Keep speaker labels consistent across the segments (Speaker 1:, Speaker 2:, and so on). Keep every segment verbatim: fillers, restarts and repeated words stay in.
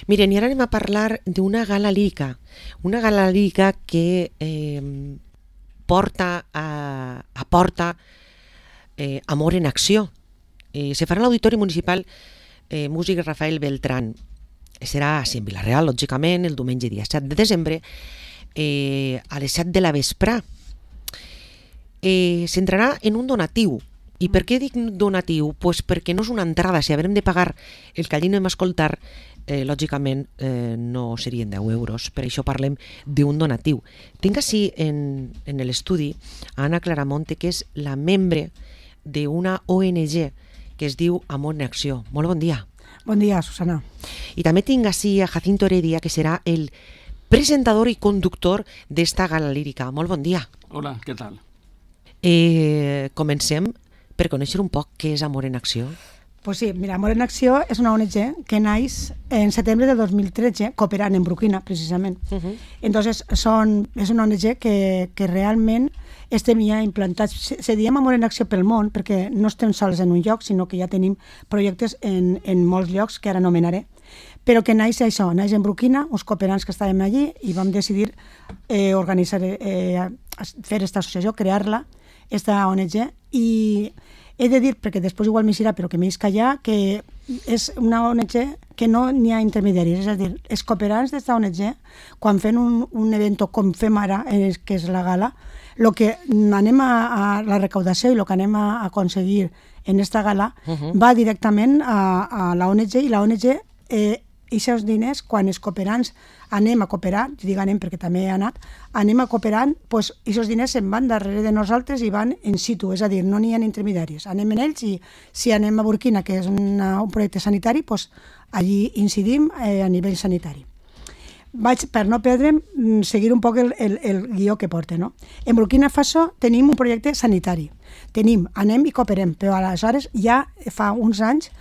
Speaker 1: Miren, i ara anem a parlar d'una gala lírica, una gala lírica que eh, porta a, aporta eh, Amor en Acció. Eh, se farà a l'Auditori Municipal eh, Músic Rafael Beltrán. Serà a Vilareal, lògicament, el diumenge dia set de desembre, eh, a les set de la vesprà. Eh, S'entrarà en un donatiu. I per què dic donatiu? Pues perquè no és una entrada. Si haurem de pagar el que allí anem a escoltar, eh, lògicament eh, no serien deu euros. Per això parlem d'un donatiu. Tinc així en, en l'estudi a Anna Claramonte, que és la membre d'una O N G que es diu Amor en Acció. Molt bon dia.
Speaker 2: Bon dia, Susana.
Speaker 1: I també tinc així a Jacinto Heredia, que serà el presentador i conductor d'esta gala lírica. Molt bon dia.
Speaker 3: Hola, què tal?
Speaker 1: Eh, comencem per conèixer un poc què és Amor en Acció.
Speaker 2: Pues sí, mira, Amor en Acció és una O N G que naix en setembre de dos mil tretze, cooperant en Burkina, precisament. Uh -huh. Entonces, son, és una O N G que, que realment estem ja implantats. Se, se diem Amor en Acció pel món perquè no estem sols en un lloc, sinó que ja tenim projectes en, en molts llocs que ara anomenaré, però que naix això, naix en Burkina, uns cooperants que estàvem allí i vam decidir eh, organitzar, eh, fer aquesta associació, crear-la, esta O N G, i he de dir, perquè després igual m'hi serà, però que m'hi callar, que és una O N G que no n'hi ha intermediaris, és a dir, els cooperants d'esta O N G, quan fem un, un event com fem ara, eh, que és la gala, el que anem a, a la recaudació i el que anem a aconseguir en esta gala uh -huh. va directament a, a la O N G, i la O N G eh, i aquests diners, quan els cooperants anem a cooperar, jo dic anem perquè també he anat, anem a cooperant, doncs aquests diners se'n van darrere de nosaltres i van in situ, és a dir, no n'hi ha intermediaris. Anem en ells i si anem a Burkina, que és una, un projecte sanitari, doncs allí incidim eh, a nivell sanitari. Vaig, per no perdre'm, seguir un poc el, el, el guió que porta, no? En Burkina Faso tenim un projecte sanitari. Tenim, anem i cooperem, però aleshores ja fa uns anys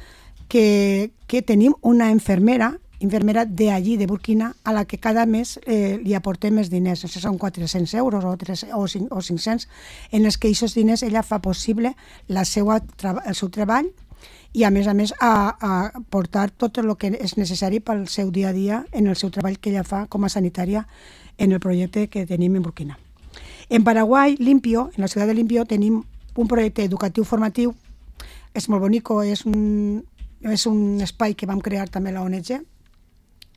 Speaker 2: que, que tenim una infermera, infermera d'allí, de Burkina, a la que cada mes eh, li aportem més diners. Això són quatre-cents euros o, tres, o, cinc, o cinc-cents, en els que aquests diners ella fa possible la seva, el seu treball i, a més a més, a, a portar tot el que és necessari pel seu dia a dia en el seu treball que ella fa com a sanitària en el projecte que tenim en Burkina. En Paraguai, Limpio, en la ciutat de Limpio, tenim un projecte educatiu formatiu. És molt bonico, és un, és un espai que vam crear també la O N G,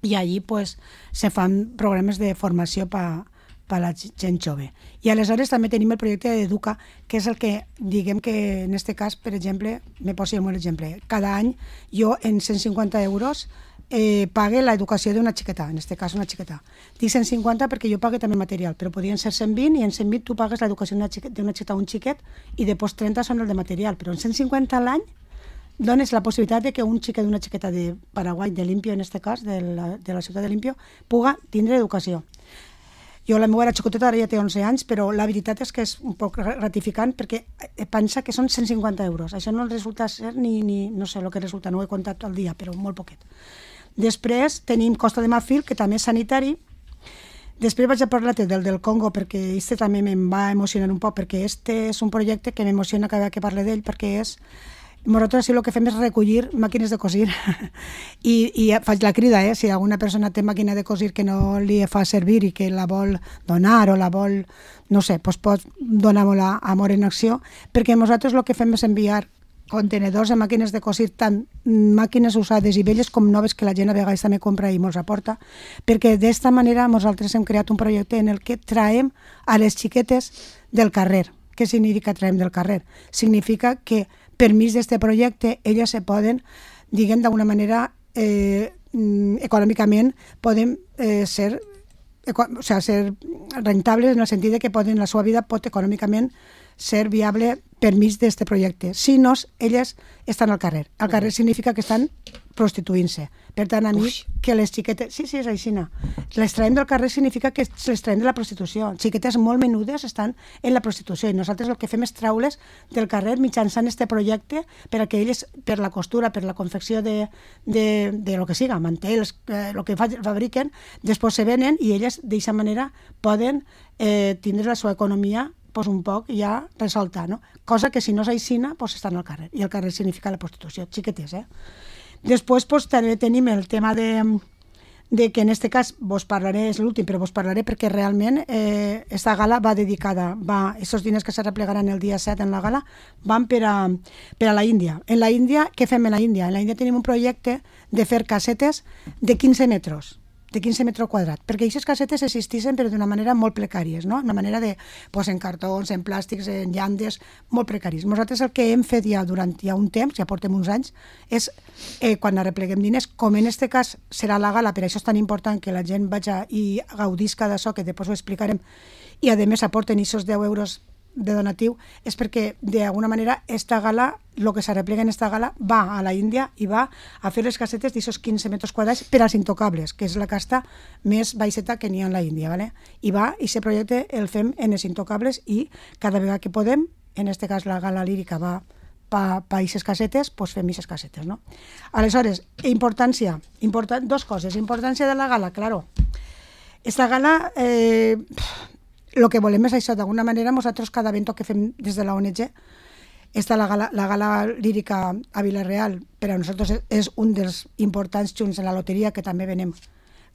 Speaker 2: i allí pues, se fan programes de formació per pa la gent jove. I aleshores també tenim el projecte d'Educa, que és el que, diguem que en aquest cas, per exemple, me poso un exemple, cada any jo en cent cinquanta euros eh, pague l'educació d'una xiqueta, en aquest cas una xiqueta. Dic cent cinquanta perquè jo pague també material, però podien ser cent vint i en cent vint tu pagues l'educació d'una xiqueta, xiqueta o un xiquet i després trenta són el de material, però en cent cinquanta a l'any dones la possibilitat de que un xiquet d'una xiqueta de Paraguai, de Limpio en aquest cas, de la, de la ciutat de Limpio, puga tindre educació. Jo la meva era xicoteta, ara ja té onze anys, però la veritat és que és un poc gratificant perquè pensa que són cent cinquanta euros. Això no resulta ser ni, ni no sé el que resulta, no ho he comptat al dia, però molt poquet. Després tenim Costa de Marfil, que també és sanitari. Després vaig a parlar-te del del Congo, perquè este també em va emocionar un poc, perquè este és un projecte que m'emociona cada vegada que parle d'ell, perquè és... Nosaltres sí, el que fem és recollir màquines de cosir I, i faig la crida, eh? Si alguna persona té màquina de cosir que no li fa servir i que la vol donar o la vol, no sé, doncs pot donar-me-la a Amor en Acció, perquè nosaltres el que fem és enviar contenedors de màquines de cosir, tant màquines usades i velles com noves que la gent a vegades també compra i mos aporta, perquè d'esta manera nosaltres hem creat un projecte en el que traiem a les xiquetes del carrer. Què significa traiem del carrer? Significa que per mig d'aquest projecte elles se poden, diguem d'alguna manera, eh, econòmicament poden eh, ser, o sea, ser rentables en el sentit de que poden, la seva vida pot econòmicament ser viable per mig d'aquest projecte. Si no, elles estan al carrer. Al carrer significa que estan prostituint-se. Per tant, a mi, Ui. que les xiquetes... Sí, sí, és així. Les traiem del carrer significa que les traiem de la prostitució. Xiquetes molt menudes estan en la prostitució i nosaltres el que fem és treure's del carrer mitjançant aquest projecte per a que elles, per la costura, per la confecció de, de, de lo que siga, mantels, eh, el que fabriquen, després se venen i elles d'aquesta manera poden eh, tindre la seva economia pues, un poc ja resolta, no? Cosa que si no és aixina, pues, estan al carrer. I el carrer significa la prostitució, xiquetes, eh? Després pues, també tenim el tema de, de que en este cas vos parlaré, és l'últim, però vos parlaré perquè realment eh, esta gala va dedicada, va, aquests diners que se replegaran el dia set en la gala van per a, per a la Índia. En la Índia, què fem en la Índia? En la Índia tenim un projecte de fer casetes de quinze metres, de quinze metres quadrats, perquè aquestes casetes existissin però d'una manera molt precàries, no? Una manera de, pues, en cartons, en plàstics, en llandes, molt precaris. Nosaltres el que hem fet ja durant ja un temps, ja portem uns anys, és eh, quan arrepleguem diners, com en aquest cas serà la gala, per això és tan important que la gent vagi i gaudisca d'això, que després ho explicarem, i a més aporten aquests deu euros de donatiu, és perquè d'alguna manera esta gala, el que s'arreplega en esta gala va a la Índia i va a fer les casetes d'aquests quinze metres quadrats per als intocables, que és la casta més baixeta que n'hi ha en la Índia, ¿vale? I va, i aquest projecte el fem en els intocables i cada vegada que podem, en este cas la gala lírica va pa, pa aquestes casetes, doncs fem aquestes casetes, no? Aleshores, importància, important, dos coses, importància de la gala, claro. Esta gala, eh, el que volem és això, d'alguna manera nosaltres cada evento que fem des de la O N G, esta la gala, la gala lírica a Vila-real per a nosaltres és un dels importants junts en la loteria que també venem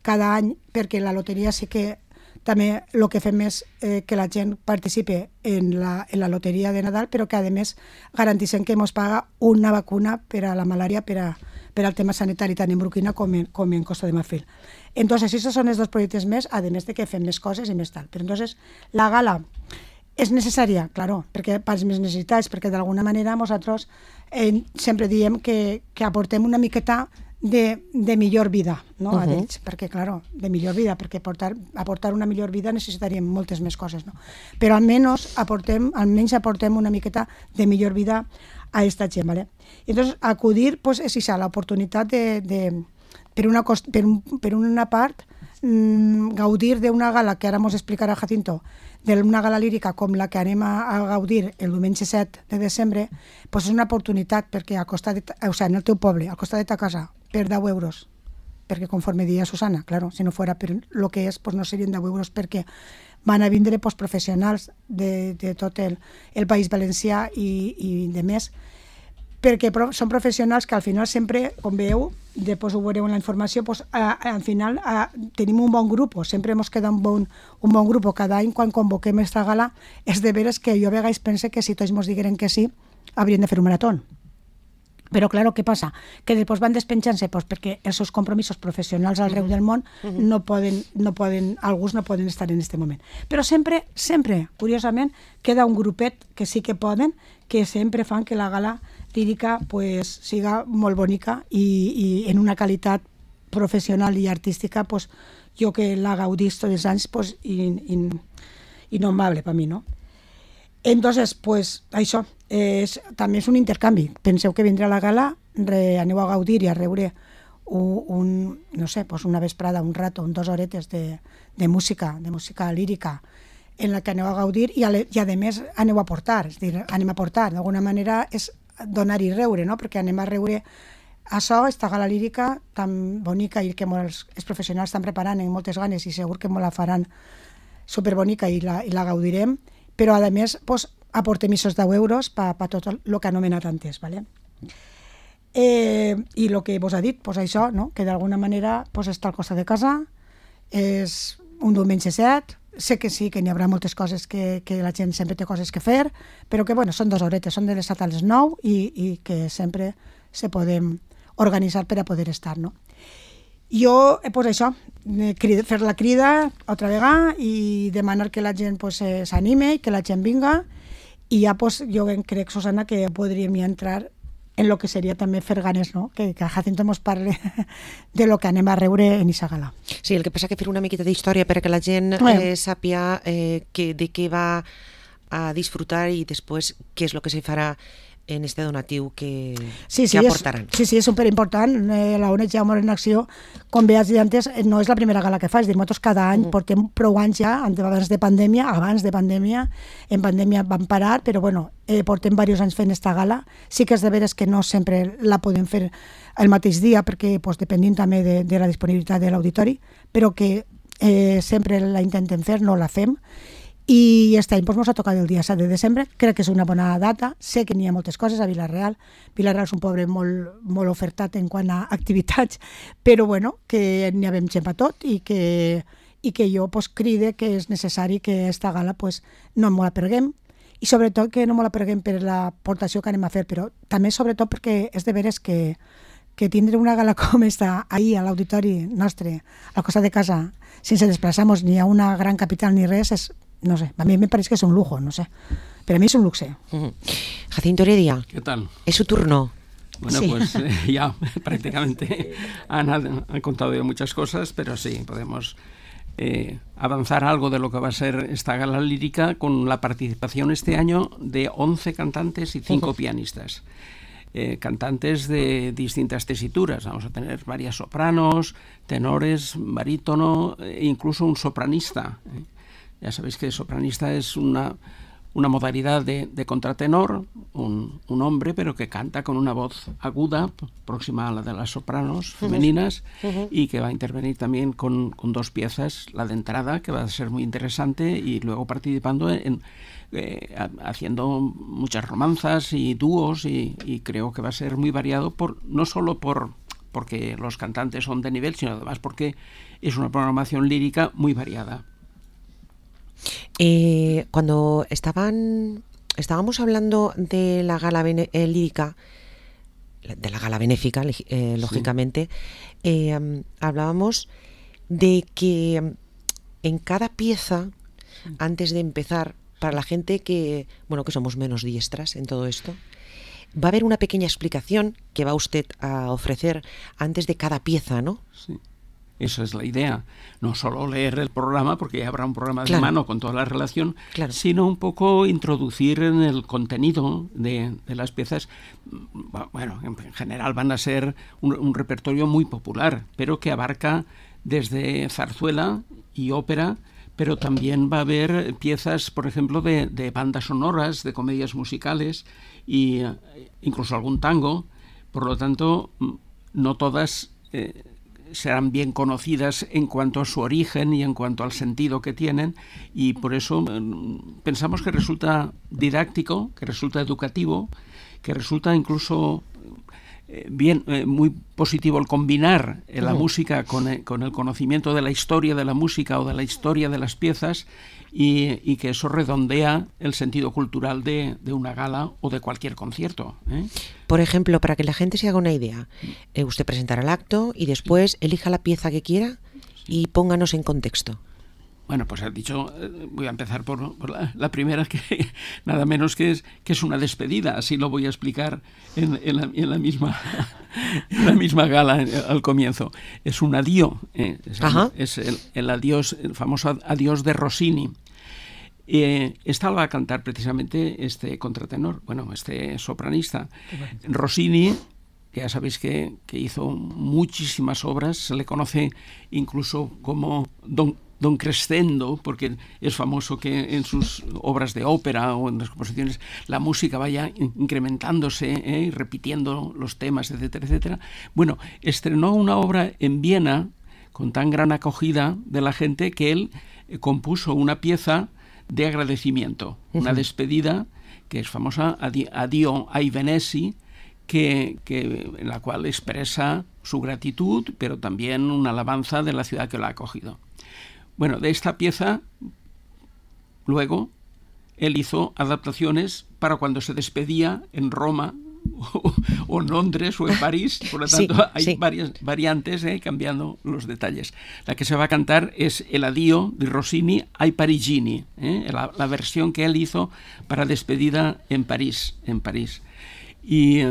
Speaker 2: cada any, perquè la loteria sí que també el que fem és eh, que la gent participe en la, en la loteria de Nadal, però que a més garantissem que ens paga una vacuna per a la malària, per, a, per al tema sanitari tant en Burkina com en, com en Costa de Marfil. Entonces, esos son els dos projectes més, a més de que fem més coses i més tal. Però entonces, la gala és necessària, claro, perquè per les més necessitats, perquè d'alguna manera nosaltres eh, sempre diem que, que aportem una miqueta de, de millor vida, no? Uh -huh. A ells, perquè, claro, de millor vida, perquè aportar, aportar una millor vida necessitaríem moltes més coses, no? Però almenys aportem, almenys aportem una miqueta de millor vida a esta gent, ¿vale? I entonces, acudir, pues, és això, l'oportunitat de, de per, una cost, per, un, per una part, mmm, gaudir d'una gala, que ara mos explicarà Jacinto, d'una gala lírica com la que anem a, a gaudir el diumenge set de desembre, pues és una oportunitat perquè al costat de, o sigui, en el teu poble, al costat de ta casa, per deu euros, perquè conforme dia Susana, claro, si no fora per lo que és, pues no serien deu euros perquè van a vindre pues, professionals de, de tot el, el País Valencià i, i de més, perquè són professionals que al final sempre, com veieu, després ho veureu en la informació, pues, a, a, al final a, tenim un bon grup, sempre ens queda un bon, un bon grup. Cada any quan convoquem aquesta gala és de veres que jo a vegades pense que si tots ens digueren que sí, haurien de fer un marató. Però, claro, què passa? Que després van despenjant-se pues, perquè els seus compromisos professionals arreu del món uh-huh. no poden, no poden, alguns no poden estar en aquest moment. Però sempre, sempre, curiosament, queda un grupet que sí que poden, que sempre fan que la gala lírica pues, siga molt bonica i, i en una qualitat professional i artística, pues, jo que la gaudís tots els anys, pues, in, in, innombrable per mi, no? Entonces, pues, això, és, també és un intercanvi. Penseu que vindrà a la gala, re, aneu a gaudir i a rebre un, un, no sé, pues una vesprada, un rato, un dos horetes de, de música, de música lírica, en la que aneu a gaudir i a, i a més aneu a portar, és a dir, anem a portar, d'alguna manera és donar i reure, no? Perquè anem a reure això, esta gala lírica tan bonica i que molts, els professionals estan preparant amb moltes ganes i segur que molt la faran superbonica i la, i la gaudirem, però a més pues, aportem aquests deu euros per pa tot el que ha anomenat antes, ¿vale? Eh, i el que vos ha dit, pues això, no? Que d'alguna manera pues, està al costat de casa, és un diumenge set, sé que sí, que n'hi haurà moltes coses que, que la gent sempre té coses que fer, però que bueno, són dues horetes, són de les set a les nou i, i que sempre se podem organitzar per a poder estar, no? Jo, pues això, fer la crida altra vegada i demanar que la gent pues, s'anime i que la gent vinga i ja pues, jo crec, Susana, que podríem ja entrar en lo que seria també fer ganes, no? Que, que Jacinto mos parle de lo que anem a reure en aquesta gala.
Speaker 1: Sí, el que passa que fer una miqueta d'història perquè la gent eh, sàpia eh, que, de què va a disfrutar i després què és el que se farà en este donatiu que,
Speaker 2: sí, sí,
Speaker 1: que aportaran.
Speaker 2: És, sí, sí, és superimportant. Eh, la O N G Amor en Acció, com bé has dit antes, no és la primera gala que fa, és dir, nosaltres cada any uh-huh. portem prou anys ja, abans de pandèmia, abans de pandèmia, en pandèmia vam parar, però bueno, eh, portem diversos anys fent esta gala. Sí que és de veres que no sempre la podem fer el mateix dia, perquè pues, dependim també de, de la disponibilitat de l'auditori, però que eh, sempre la intentem fer, no la fem, i aquest any doncs, ens ha tocat el dia set de desembre, crec que és una bona data, sé que n'hi ha moltes coses a Vila-real, Vila-real és un poble molt, molt ofertat en quant a activitats, però bueno, que n'hi havem gent per tot i que, i que jo pues, cride que és necessari que aquesta gala pues, no ens la perguem, i sobretot que no ens la perguem per l'aportació que anem a fer, però també sobretot perquè és de veres que, que tindre una gala com esta ahir a l'auditori nostre, al costat de casa, sense desplaçar-nos ni a una gran capital ni res, és, no sé, a mí me parece que es un lujo, no sé, pero a mí es un luxe.
Speaker 1: Uh-huh. Jacinto Heredia,
Speaker 3: ¿qué tal?
Speaker 1: Es su turno.
Speaker 3: Bueno,
Speaker 1: sí.
Speaker 3: pues eh, ya prácticamente han, han contado ya muchas cosas, pero sí, podemos eh, avanzar algo de lo que va a ser esta gala lírica con la participación este año de once cantantes y cinco uh-huh. pianistas. Eh, cantantes de distintas tesituras. Vamos a tener varias sopranos, tenores, barítono e incluso un sopranista. Eh. Ya sabéis que sopranista es una, una modalidad de, de contratenor, un, un hombre, pero que canta con una voz aguda, próxima a la de las sopranos femeninas, uh-huh. y que va a intervenir también con, con dos piezas, la de entrada, que va a ser muy interesante, y luego participando en... Eh, haciendo muchas romanzas y dúos y, y creo que va a ser muy variado por no solo por porque los cantantes son de nivel, sino además porque es una programación lírica muy variada.
Speaker 1: Eh, cuando estaban estábamos hablando de la gala bene, eh, lírica, de la gala benéfica, eh, lógicamente, sí. eh, um, hablábamos de que um, en cada pieza, antes de empezar, para la gente que, bueno, que somos menos diestras en todo esto, va a haber una pequeña explicación que va usted a ofrecer antes de cada pieza, ¿no?
Speaker 3: Sí, esa es la idea. No solo leer el programa, porque ya habrá un programa
Speaker 1: claro.
Speaker 3: de mano con toda la relación,
Speaker 1: claro.
Speaker 3: sino un poco introducir en el contenido de, de las piezas. Bueno, en general van a ser un, un repertorio muy popular, pero que abarca desde zarzuela y ópera, pero también va a haber piezas, por ejemplo, de, de bandas sonoras, de comedias musicales e incluso algún tango. Por lo tanto, no todas eh, serán bien conocidas en cuanto a su origen y en cuanto al sentido que tienen, y por eso eh, pensamos que resulta didáctico, que resulta educativo, que resulta incluso... bien, eh, muy positivo el combinar eh, la uh-huh. música con, eh, con el conocimiento de la historia de la música o de la historia de las piezas y, y que eso redondea el sentido cultural de, de una gala o de cualquier concierto. ¿eh?
Speaker 1: Por ejemplo, para que la gente se haga una idea, eh, usted presentará el acto y después elija la pieza que quiera y pónganos en contexto.
Speaker 3: Bueno, pues has dicho, voy a empezar por, por la, la primera, que nada menos que es, que es una despedida, así lo voy a explicar en, en, la, en, la, misma, en la misma gala al comienzo. Es un adiós, eh, es, es el, el adiós, el famoso adiós de Rossini. Eh, esta la va a cantar precisamente este contratenor, bueno, este sopranista. Rossini, ya sabéis que, que hizo muchísimas obras, se le conoce incluso como Don Don Crescendo, porque es famoso que en sus obras de ópera o en las composiciones la música vaya incrementándose ¿eh? y repitiendo los temas, etcétera, etcétera. Bueno, estrenó una obra en Viena con tan gran acogida de la gente que él compuso una pieza de agradecimiento, uh-huh. una despedida que es famosa, Addio ai Venezi, que, que, en la cual expresa su gratitud, pero también una alabanza de la ciudad que lo ha acogido. Bueno, de esta pieza, luego, él hizo adaptaciones para cuando se despedía en Roma o, o en Londres o en París. Por lo tanto, sí, hay sí. varias variantes, eh, cambiando los detalles. La que se va a cantar es el Addio de Rossini ai Parigini, eh, la, la versión que él hizo para despedida en París. En París. Y...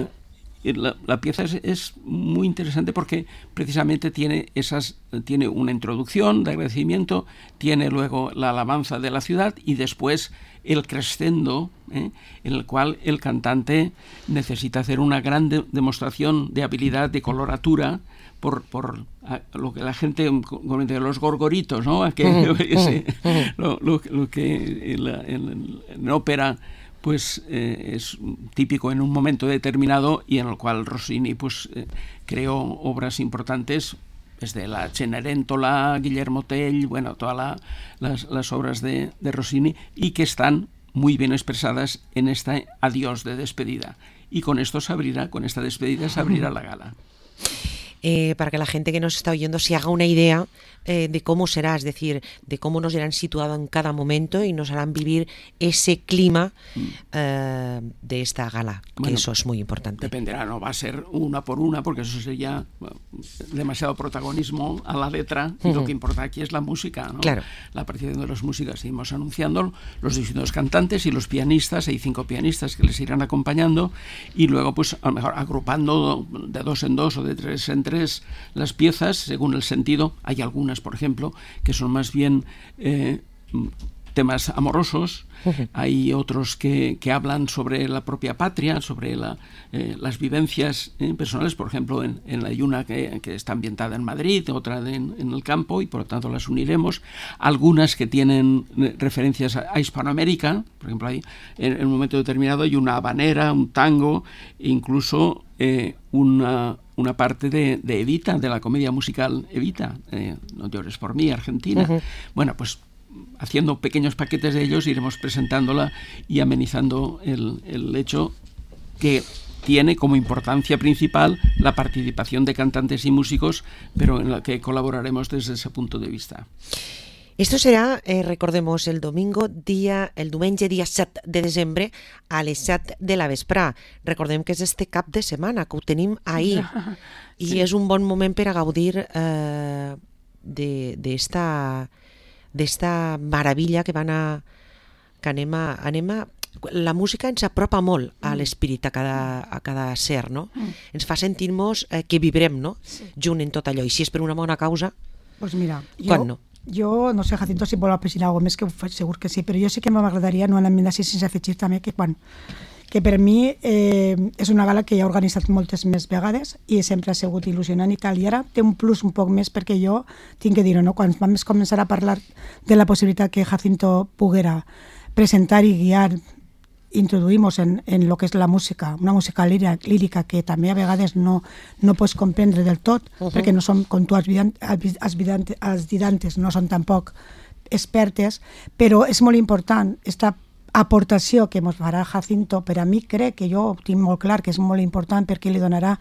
Speaker 3: La, la pieza es, es muy interesante porque precisamente tiene esas tiene una introducción de agradecimiento, tiene luego la alabanza de la ciudad y después el crescendo, ¿eh? en el cual el cantante necesita hacer una gran de, demostración de habilidad de coloratura por, por a, lo que la gente comenta, los gorgoritos, ¿no? A que, uh-huh, ese, uh-huh. lo, lo, lo que en, la, en, en ópera pues eh, es típico en un momento determinado y en el cual Rossini pues eh, creó obras importantes desde la Cenerentola, Guillermo Tell, bueno, todas la, las, las obras de, de Rossini, y que están muy bien expresadas en este adiós de despedida. Y con esto se abrirá, con esta despedida se abrirá la gala.
Speaker 1: Eh, para que la gente que nos está oyendo se haga una idea eh, de cómo será, es decir, de cómo nos irán situado en cada momento y nos harán vivir ese clima eh, de esta gala, que bueno, eso es muy importante.
Speaker 3: Dependerá, no va a ser una por una, porque eso sería bueno, demasiado protagonismo a la letra, y uh-huh. lo que importa aquí es la música, ¿no?
Speaker 1: Claro.
Speaker 3: La participación de las músicas, seguimos anunciando los distintos cantantes y los pianistas, hay cinco pianistas que les irán acompañando, y luego pues a lo mejor agrupando de dos en dos o de tres en tres las piezas según el sentido. Hay algunas, por ejemplo, que son más bien eh, temas amorosos, uh-huh. hay otros que, que hablan sobre la propia patria, sobre la, eh, las vivencias eh, personales, por ejemplo, en, en hay una que, que está ambientada en Madrid, otra de, en, en el campo, y por lo tanto las uniremos. Algunas que tienen referencias a, a Hispanoamérica, por ejemplo, hay, en, en un momento determinado hay una habanera, un tango, incluso eh, una... una parte de, de Evita, de la comedia musical Evita, eh, No llores por mí, Argentina. Uh-huh. Bueno, pues haciendo pequeños paquetes de ellos iremos presentándola y amenizando el, el hecho que tiene como importancia principal la participación de cantantes y músicos, pero en la que colaboraremos desde ese punto de vista.
Speaker 1: Esto serà, eh, recordemos, el domingo, dia, el diumenge dia set de desembre a les set de la vesprà. Recordem que és este cap de setmana, que ho tenim ahir. I sí. és un bon moment per a gaudir eh, d'esta d'esta meravella que van a... que anem a... Anem a la música ens apropa molt a l'esperit, a cada, a cada ser, no? Mm. Ens fa sentir-nos eh, que vibrem, no? Sí. Junt en tot allò. I si és per una bona causa,
Speaker 2: pues mira,
Speaker 1: quan
Speaker 2: jo...
Speaker 1: no?
Speaker 2: Jo, no sé, Jacinto, si vol afegir alguna cosa més, que ho faig segur que sí, però jo sí que m'agradaria, no anar d'ací sense afegir també, que quan que per mi eh, és una gala que ja he organitzat moltes més vegades i sempre ha sigut il·lusionant i tal, i ara té un plus un poc més perquè jo tinc que dir-ho, no? Quan vam començar a parlar de la possibilitat que Jacinto poguera presentar i guiar, introduïmos en, en lo que és la música, una música lírica, lírica que també a vegades no, no pots comprendre del tot, uh-huh. perquè no som, com tu has dit, els didantes no són tampoc expertes, però és molt important esta aportació que ens farà Jacinto. Per a mi crec que jo ho tinc molt clar que és molt important perquè li donarà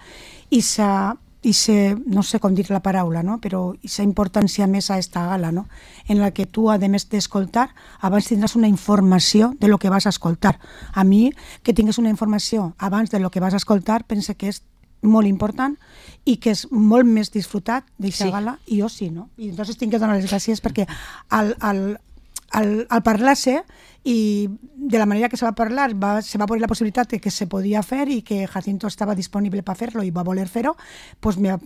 Speaker 2: esa, esa no sé com dir la paraula, no? Però esa importància més a esta gala, no? En la que tu, a més d'escoltar, abans tindràs una informació de lo que vas a escoltar. A mi, que tingues una informació abans de lo que vas a escoltar, pense que és molt important i que és molt més disfrutat d'aquesta sí. gala, i jo sí, no? I entonces tinc que donar les gràcies perquè al, al, al, al parlar-se i de la manera que se va parlar va, se va poner la possibilitat de que se podia fer i que Jacinto estava disponible per fer-lo i va voler fer-ho, pues mira,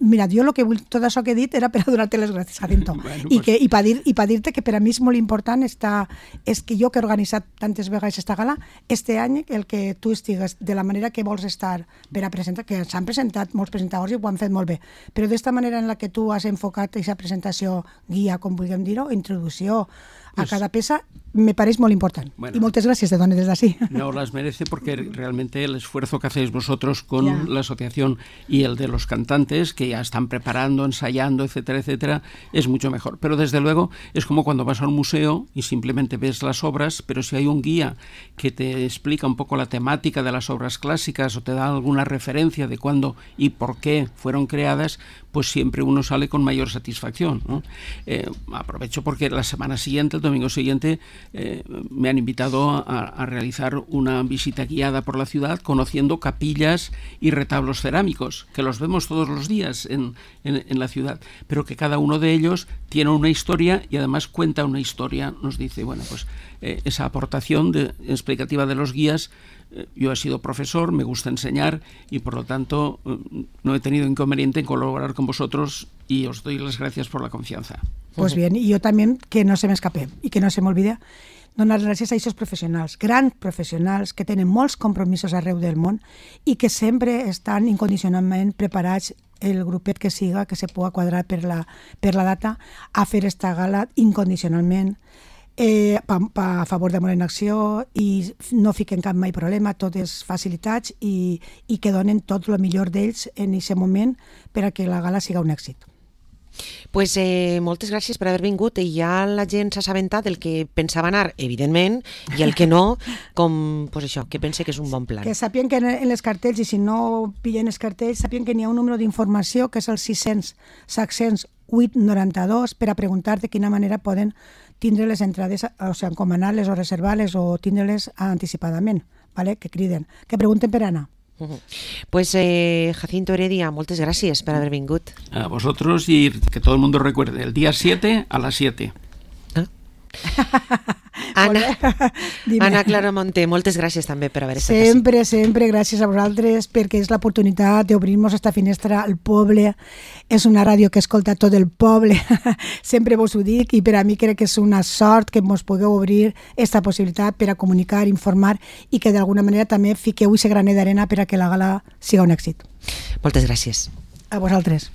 Speaker 2: mira, jo lo que vull, tot això que he dit era per a donar-te les gràcies, Jacinto. Bueno, I, pues... que, i per dir, i per dir-te que per a mi és molt important esta, és que jo que he organitzat tantes vegades esta gala, este any el que tu estigues de la manera que vols estar per a presentar, que s'han presentat molts presentadors i ho han fet molt bé, però d'esta manera en la que tu has enfocat aquesta presentació guia, com vulguem dir-ho, introducció a pues... cada peça, me parece muy importante. Bueno, y muchas gracias de donde desde así.
Speaker 3: No las merece porque realmente el esfuerzo que hacéis vosotros con yeah. la asociación y el de los cantantes que ya están preparando, ensayando, etcétera, etcétera, es mucho mejor. Pero desde luego es como cuando vas a un museo y simplemente ves las obras, pero si hay un guía que te explica un poco la temática de las obras clásicas o te da alguna referencia de cuándo y por qué fueron creadas, pues siempre uno sale con mayor satisfacción, ¿no? Eh, aprovecho porque la semana siguiente, el domingo siguiente, Eh, me han invitado a, a realizar una visita guiada por la ciudad conociendo capillas y retablos cerámicos, que los vemos todos los días en, en, en la ciudad, pero que cada uno de ellos tiene una historia y además cuenta una historia, nos dice, bueno, pues eh, esa aportación de, explicativa de los guías. eh, yo he sido profesor, me gusta enseñar y por lo tanto eh, no he tenido inconveniente en colaborar con vosotros y os doy las gracias por la confianza.
Speaker 2: Pues bien, y yo también, que no se me escape y que no se me olvide, donar gràcies a aquests professionals, grans professionals que tenen molts compromisos arreu del món i que sempre estan incondicionalment preparats, el grupet que siga, que se pugui quadrar per la, per la data, a fer esta gala incondicionalment, eh, pa, pa, a favor d'Amor en Acció, i no fiquen cap mai problema, totes facilitats, i, i que donen tot el millor d'ells en aquest moment per a que la gala siga un èxit.
Speaker 1: Pues eh, moltes gràcies per haver vingut i ja la gent s'ha assabentat del que pensava anar, evidentment, i el que no, com, pues això, que pense que és un bon plan.
Speaker 2: Que sàpien que en les cartells, i si no pillen els cartells, sàpien que n'hi ha un número d'informació que és el sis cents set zero vuit noranta-dos per a preguntar de quina manera poden tindre les entrades, o sigui, encomanar-les o reservar-les o tindre-les anticipadament, ¿vale? Que criden, que pregunten per anar.
Speaker 1: Uh-huh. Pues eh, Jacinto Heredia, moltes gràcies per haver vingut.
Speaker 3: A vosotros y que todo el mundo recuerde, el día siete a las siete.
Speaker 1: ¿Ah? Anna, Anna Claramonte, moltes gràcies també per haver estat
Speaker 2: així. Sempre, sempre gràcies a vosaltres perquè és l'oportunitat d'obrir-nos esta finestra al poble. És una ràdio que escolta tot el poble. Sempre vos ho dic i per a mi crec que és una sort que mos pugueu obrir esta possibilitat per a comunicar, informar i que d'alguna manera també fiqueu aquest granet d'arena per a que la gala siga un èxit.
Speaker 1: Moltes gràcies.
Speaker 2: A vosaltres.